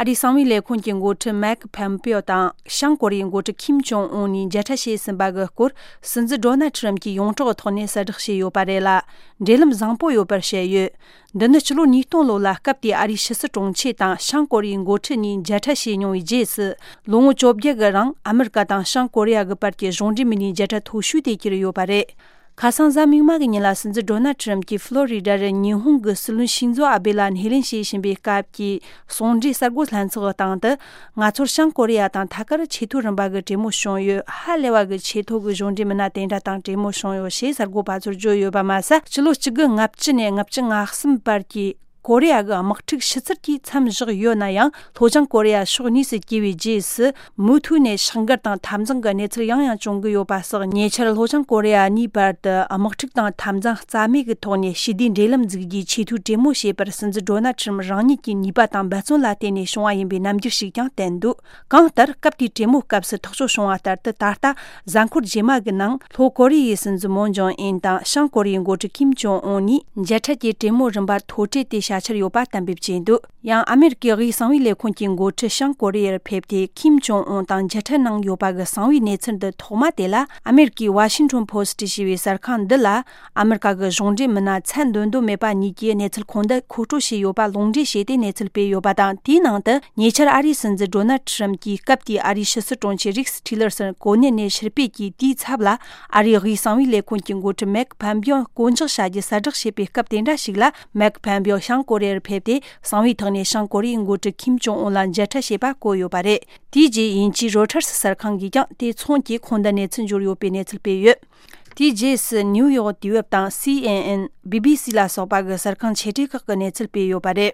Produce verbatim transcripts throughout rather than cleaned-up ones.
ཨ་རིའི་གསང་བའི་ལས་ཁུངས་ཀྱི་འགོ་ཁྲིད་མེག་ཕོམ་པེའོ་དང་བྱང་ཀོ་རི་ཡའི་འགོ་ཁྲིད་ཁིམ་ཅོང་ཨུན་གཉིས་མཇལ་འཕྲད་བྱས་ཟིན་པ་གི་སྐོར། སྲིད་འཛིན་ཌོ་ནལ་ཁྲི་རམ་གྱིས་ཡོངས་གྲགས་ཐོག་ནས་གསལ་བསྒྲགས་བྱས་ཡོད་པ་རེད་ལ། འབྲེལ་ལམ་བཟང་པོ་ཡོད་པར་བཤད་ཡོད། འདི་ནི་ཕྱི་ལོ་ཉིས་སྟོང་ལོ་ལ་སྐབས་དེའི་ཨ་རིའི་ཕྱི་སྲིད་དྲུང་ཆེ་དང་བྱང་ཀོ་རི་ཡའི་འགོ་ཁྲིད་གཉིས་མཇལ་འཕྲད་བྱས་མྱོང་བའི་རྗེས་སུ། ལོ་ངོ་བཅོ་བརྒྱད་གི་རིང་ཨ་མི་རི་ཀ་དང་བྱང་ཀོ་རི་ཡ་གི་བར་གྱི་གཞུང་འབྲེལ་མི་སྣའི་མཇལ་འཕྲད་མཐོ་ཤོས་དེ་གྱུར་ཡོད་པ་རེད། ཁ་སང་གཟའ་མིག་དམར་གྱི་ཉིན་ལ་སྲིད་འཛིན་ཌོ་ནལ་ཁྲི་རམ་གྱིས་ཕློ་རི་ཌ་རུ་ཉི་ཧོང་གི་སྲིད་བློན་ཤིན་ཛོ་ཨ་བེ་ལ་སྣེ་ལེན་བྱེད་བཞིན་པའི་སྐབས་ཀྱི་གསུང་འབྲེལ་གསར་འགོད་ལྷན་ཚོགས་སྟེང་དུ། ང་ཚོར་བྱང་ཀོ་རི་ཡ་དང་ཐད་ཀར་ཆེས་མཐོའི་རིམ་པ་གི་གྲོས་མོལ་བྱུང་ཡོད། ཧ་ལས་པ་གི་ཆེས་མཐོ་གི་གཞུང་འབྲེལ་མི་སྣ་དེ་འདྲ་དང་གྲོས་མོལ་བྱུང་ཡོད་ཞེས་གསར་འགོད་པ་ཚོར་བརྗོད་ཡོད་པ་མ་ཟད། ཕྱི་ལོ་གཅིག་དགུ་ལྔ་བཅུ་ནས་ལྔ་བཅུ་ང་གསུམ་བར་གྱི་ཀོ་རི་ཡ་གི་དམག་འཁྲུག་ཕྱི་ཚུལ་གྱིས་མཚམས་བཞག་ཡོད་ན་ཡང་། ལྷོ་བྱང་ཀོ་རི་ཡ་ཕྱོགས་གཉིས་སུ་གྱེས་པའི་རྗེས་སུ། མུ་མཐུད་ནས་ཤིང་འགལ་དང་འཐབ་འཛིང་གི་གནས་ཚུལ་ཡང་ཡང་བྱུང་གི་ཡོད་པ་སོགས། ཉེ་ཆར་ལྷོ་བྱང་ཀོ་རི་ཡ་གཉིས་བར་དུ་དམག་འཁྲུག་དང་འཐབ་འཛིང་རྩ་མེད་ཀྱི་ཐོག་ནས་ཞི་བདེའི་འབྲེལ་ལམ་འཛུགས་རྒྱུའི་ཆེས་མཐོའི་གྲོས་མོལ་བྱས་པར། སྲིད་འཛིན་ཌོ་ནལ་ཁྲི་རམ་རང་ཉིད་ཀྱི་ནུས་པ་དང་འབད་བརྩོན་ལ་བརྟེན་ནས་བྱུང་བ་ཡིན་པའི་རྣམ་འགྱུར་ཞིག་ཀྱང་བསྟན་འདུག་གང་ལྟར། སྐབས་དེའི་གྲོས་མོལ་སྐབས་སུ་ཐག་གཅོད་བྱུང་བ་ལྟར་དུ། ད་ལྟ་གཟའ་འཁོར་རྗེས་མ་གི་ནང་། ལྷོ་ཀོ་རི་ཡའི་སྲིད་འཛིན་མོན་ཇོང་ཨིན་དང་བྱང་ཀོ་རི་ཡའི་འགོ་ཁྲིད་ཁིམ་ཅོང་ཨུན་གཉིས་མཇལ་འཕྲད་ཀྱི་གྲོས་མོལ་རིམ་པ་མཐོ་གྲས་དེ་བྱ་འཆར་ཡོད་པ་གཏན་འབེབས་བྱས་འདུག་ཡང་ཨ་མེ་རི་ཀའི་དབུས་གསང་བའི་ལས་ཁུངས་ཀྱི་འགོ་ཁྲིད་བྱང་ཀོ་རི་ཡར་ཕེབས་ཏེ། ཁིམ་ཅོང་ཨུན་དང་མཇལ་འཕྲད་གནང་ཡོད་པ་གི་གསང་བའི་གནས་ཚུལ་འདི་ཐོག་མ་དེ་ལ། ཨ་མེ་རི་ཀའི་Washington Post་ཞེས་པའི་གསར་ཁང་འདི་ལ། ཨ་མེ་རི་ཀ་གི་གཞུང་འབྲེལ་མི་སྣ་ཚད་འདོད་འདོད་མེད་པ་གཉིས་ཀྱིས་གནས་ཚུལ་ཁོང་འདི་མཁོ་སྤྲོད་བྱས་ཡོད་པ་ལུང་འདྲེན་བྱས་ཏེ་གནས་ཚུལ་སྤེལ་ཡོད་པ་དང་། དེའི་ནང་དུ། ཉེ་ཆར་ཨ་རིའི་སྲིད་འཛིན་ཌོ་ནལ་ཁྲི་རམ་གྱིས་སྐབས་དེའི་ཨ་རིའི་ཕྱི་སྲིད་དྲུང་ཆེ་རིགས་ཊི་ལར་སན་གོ་གནས་ནས་ཕྱིར་ཕེབས་ཀྱིས། དེའི་ཚབ་ལ་ཨ་རིའི་དབུས་གསང་བའི་ལས་ཁུངས་ཀྱི་འགོ་ཁྲིད་མེག་ཕམ་པིའོ་བསྐོ་འཇོག་བྱ་རྒྱུ་གསལ་བསྒྲགས་བྱས་པའི་སྐབས་དེ་འདྲ་ཞིག་ལ། མེག་ཕམ་པིའོ་བྱང་ཀོ་རི་ཡར་ཕེབས་ཏེ། གསང་བའི་ཐོག་ནས་བྱང་ཀོ་རི་ཡའི་འགོ་ཁྲིད་ཁིམ་ཅོང་ཨུན་ལ་མཇལ་འཕྲད་བྱས་པ་བཀོད་ཡོད་པ་རེད། དེའི་རྗེས་དབྱིན་ཇིའི་རོ་ཊར་སི་གསར་ཁང་གིས་ཀྱང་དེ་མཚུངས་ཀྱིས་ཁོང་དུ་གནས་ཚུལ་འབྱོར་ཡོད་པའི་གནས་ཚུལ་སྤེལ་ཡོད། དེའི་རྗེས་སུ་ནིའུ་ཡོག་དུས་བབ་དང་། སི་ཨེན་ཨེན། བི་བི་སི་ལ་སོགས་པ་གི་གསར་ཁང་ཆེ་གྲས་ཁག་གིས་གནས་ཚུལ་སྤེལ་ཡོད་པ་རེད།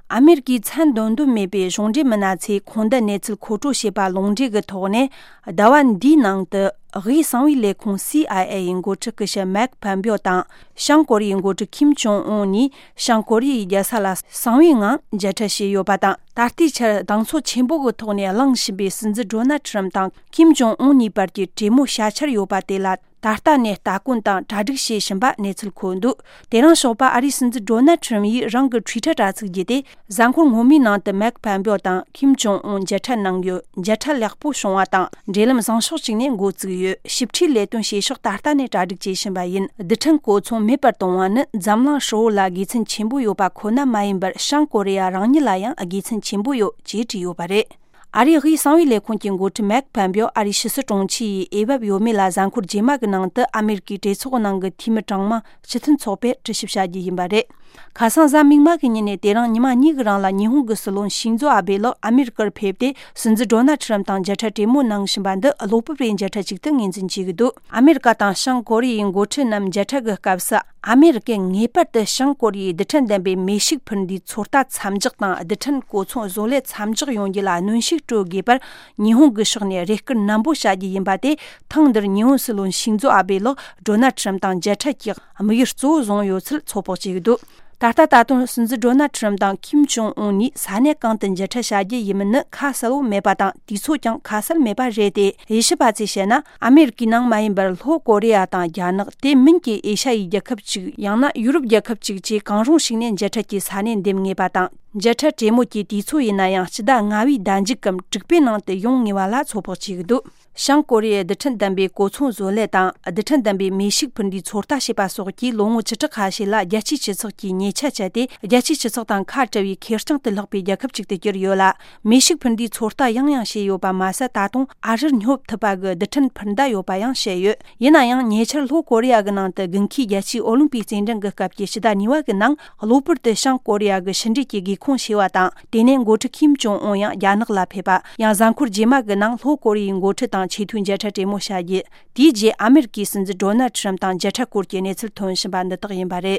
ཨ་མེ་རི་ཀའི་ཚད་འདོད་འདོད་མེད་པའི་གཞུང་འབྲེལ་མི་སྣ་ཚོས་ཁོང་དུ་གནས་ཚུལ་མཁོ་སྤྲོད་བྱས་པ་ལུང་འདྲེན་གྱི་ཐོག་ནས། ཟླ་བ་འདིའི་ནང་དུ་དབུས་གསང་བའི་ལས་ཁུངས་སི་ཨའི་ཨེ་ཡི་འགོ་ཁྲིད་སྐུ་ཞབས་མེག་ཕམ་པིའོ་དང་། བྱང་ཀོ་རི་ཡའི་འགོ་ཁྲིད་ཁིམ་ཅོང་ཨུན་གཉིས་བྱང་ཀོ་རི་ཡའི་རྒྱལ་ས་ལ་གསང་བའི་ངང་མཇལ་འཕྲད་བྱས་ཡོད་པ་དང་། ད་ལྟའི་ཆར་གདེང་ཚོད་ཆེན་པོ་གི་ཐོག་ནས་གླེང་བཞིན་པའི་སྲིད་འཛིན་ཌོ་ནལ་ཁྲི་རམ་དང་ཁིམ་ཅོང་ཨུན་གཉིས་བར་གྱི་གྲོས་མོལ་བྱ་འཆར་ཡོད་པ་དེ་ལ། ད་ལྟ་ནས་ལྟ་སྐོར་དང་གྲ་སྒྲིག་བྱེད་བཞིན་པ་གནས་ཚུལ་འཁོད་འདུག་དེ་རིང་ཞོགས་པ་ཨ་རིའི་སྲིད་འཛིན་ཌོ་ནལ་ཁྲི་རམ་ཡིས་རང་གི་ཊུའི་ཊར་དྲ་ཚིགས་བརྒྱུད་དེ། གཟའ་འཁོར་སྔོན་མའི་ནང་དུ་མེག་ཕམ་པིའོ་དང་ཁིམ་ཅོང་ཨུན་མཇལ་འཕྲད་གནང་ཡོད། མཇལ་འཕྲད་ལེགས་པོ་བྱུང་བ་དང་། འབྲེལ་ལམ་བཟང་ཕྱོགས་གཅིག་ནས་འགོ་བཙུགས་ཡོད། ཞིབ་ཕྲའི་ལས་དོན་བྱེད་ཕྱོགས་ད་ལྟ་ནས་གྲ་སྒྲིག་བྱེད་བཞིན་པ་ཡིན། རྡུལ་ཕྲན་གོ་མཚོན་མེད་པར་གཏོང་བ་ནི་འཛམ་གླིང་ཧྲིལ་བོ་ལ་དགེ་མཚན་ཆེན་པོ་ཡོད་པ་ཁོ་ན་མ་ཡིན་པར། བྱང་ཀོ་རི་ཡ་རང་ཉིད་ལ་ཡང་དགེ་མཚན་ཆེན་པོ་ཡོད་ཅེས་བྲིས་ཡོད་པ་རེད། ཨ་རིའི་དབུས་གསང་བའི་ལས་ཁུངས་ཀྱི་འགོ་ཁྲིད་མེག་ཕམ་པིའོ་ཨ་རིའི་ཕྱི་སྲིད་དྲུང་ཆེ་ཡི་འོས་བབ་ཡོད་མེད་ལ། གཟའ་འཁོར་རྗེས་མ་གི་ནང་དུ་ཨ་མེ་རི་ཀའི་གྲོས་ཚོགས་ནང་གི་འཐུས་མི་གྲངས་མང་སྤྱི་མཐུན་ཚོགས་པས་དྲི་ཞིབ་བྱ་རྒྱུ་ཡིན་པ་རེད། ཁ་སང་གཟའ་མིག་དམར་གྱི་ཉིན་ནས་དེ་རིང་ཉི་མ་གཉིས་ཀྱི་རིང་ལ། ཉི་ཧོང་གི་སྲིད་བློན་ཤིན་ཛོ་ཨ་བེ་ལགས་ཨ་མེ་རི་ཀར་ཕེབས་ཏེ། སྲིད་འཛིན་ཌོ་ནལ་ཁྲི་རམ་དང་མཇལ་འཕྲད་གྲོས་མོལ་གནང་བཞིན་པ་འདི། གློ་བུར་བའི་མཇལ་འཕྲད་ཅིག་ཏུ་ངོས་འཛིན་བྱེད་ཀྱི་འདུག་ཨ་མེ་རི་ཀ་དང་བྱང་ཀོ་རི་ཡའི་འགོ་ཁྲིད་རྣམས་མཇལ་འཕྲད་ཀྱི་སྐབས་སུ། ཨ་མེ་རི་ཀས་ངེས་པར་དུ་བྱང་ཀོ་རི་ཡའི་རྡུལ་ཕྲན་ལྡན་པའི་མེ་ཤུགས་འཕུར་མདེལ་ཚོད་ལྟ་མཚམས་འཇོག་དང་། རྡུལ་ཕྲན་གོ་མཚོན་བཟོ་ལས་མཚམས་འཇོག་ཡོང་རྒྱུ་ལ་གནོན་ཤུགས་སྤྲོད་དགོས་པར། ཉི་ཧོང་གི་ཕྱོགས་ནས་རེ་སྐུལ་ནན་པོ་བྱ་རྒྱུ་ཡིན་པ་དེ། ཐེངས་འདིར་ཉི་ཧོང་སྲིད་བློན་ཤིན་ཛོ་ཨ་བེ་ལགས་ཌོ་ནལ་ཁྲི་རམ་དང་མཇལ་འཕྲད་ཀྱི་དམིགས་ཡུལ་གཙོ་བོ་བཟུང་ཡོད་ཚུལ་ཚོད་དཔག་བྱེད་ཀྱི་འདུག་ད་ལྟ་ད་དུང་སྲིད་འཛིན་ཌོ་ནལ་ཁྲི་རམ་དང་ཁིམ་ཅོང་ཨུན་གཉིས་ས་གནས་གང་དུ་མཇལ་འཕྲད་བྱ་རྒྱུ་ཡིན་མིན་ནི་ཁ་གསལ་བོ་མེད་པ་དང་། དུས་ཚོད་ཀྱང་ཁ་གསལ་མེད་པ་རེད་དེ། དབྱེ་ཞིབ་པ་ཚོས་བཤད་ན། ཨ་མེ་རི་ཀའི་ནང་མ་ཡིན་པར་ལྷོ་ཀོ་རི་ཡ་དང་རྒྱ་ནག་དེ་མིན་གྱི་ཨེ་ཤ་ཡའི་རྒྱལ་ཁབ་ཅིག་ཡང་ན་ཡུ་རོབ་རྒྱལ་ཁབ་ཅིག་བཅས་གང་རུང་ཞིག་ནས་མཇལ་འཕྲད་ཀྱི་ས་གནས་འདེམས་ངེས་པ་དང་། མཇལ་འཕྲད་གྲོས་མོལ་གྱི་དུས་ཚོད་ཡིན་ན་ཡང་། སྤྱི་ཟླ་ལྔ་བའི་ཟླ་མཇུག་གམ་དྲུག་པའི་ནང་དུ་ཡོང་ངེས་པ་ལ་ཚོད་དཔག་བྱེད་ཀྱི་འདུག་བྱང་ཀོ་རི་ཡའི་རྡུལ་ཕྲན་ལྡན་པའི་གོ་མཚོན་བཟོ་ལས་དང་། རྡུལ་ཕྲན་ལྡན་པའི་མེ་ཤུགས་འཕུར་མདེལ་ཚོད་ལྟ་བྱེད་པ་སོགས་ཀྱིས་ལོ་ངོ་བཅུ་ཕྲག་ཁ་ཤས་ལ་རྒྱལ་སྤྱིའི་སྤྱི་ཚོགས་ཀྱི་ཉེ་ཆར་བྱས་ཏེ། རྒྱལ་སྤྱིའི་སྤྱི་ཚོགས་དང་ཁ་བྲལ་བའི་ཁེར་རྐྱང་དུ་ལྷག་པའི་རྒྱལ་ཁབ་ཅིག་ཏུ་གྱུར་ཡོད་ལ། མེ་ཤུགས་འཕུར་མདེལ་ཚོད་ལྟ་ཡང་ཡང་བྱས་ཡོད་པ་མ་ཟད། ད་དུང་ཨ་རིར་སྙོབ་ཐུབ་པ་གི་རྡུལ་ཕྲན་འཕུར་མདའ་ཡོད་པ་ཡང་བཤད་ཡོད། ཡིན་ན་ཡང་། ཉེ་ཆར་ལྷོ་ཀོ་རི་ཡ་གི་ནང་དུ་དགུན་ཁའི་རྒྱལ་སྤྱིའི་ཨོ་ལིམ་པིག་རྩེད་འགྲན་གྱི་སྐབས་ཀྱི་ཕྱི་ཟླ་གཉིས་པ་གི་ནང་། གློ་བུར་དུ་བྱང་ཀོ་རི་ཡ་གི་ཕྱི་འབྲེལ་གྱི་སྒེའུ་ཁུང་ཕྱེ་བ་དང་། དེ་ནས་འགོ་ཁྲིད་ཁིམ་ཅོང་ཨུན་ཡང་རྒྱ་ནག་ལ་ཕེབས་པ། ཡང་གཟའ་འཁོར་རྗེས་མ་གི་ནང་ལྷོ་ཀོ་རི་ཡའི་འགོ་ཁྲིད་དང་ཆེས་མཐོའི་མཇལ་འཕྲད་གྲོས་མོལ་བྱ་རྒྱུ། དེའི་རྗེས་ཨ་མེ་རི་ཀའི་སྲིད་འཛིན་ཌོ་ནལ་ཁྲི་རམ་དང་མཇལ་འཕྲད་སྐོར་གྱི་གནས་ཚུལ་ཐོན་བཞིན་པ་འདི་དག་ཡིན་པ་རེད།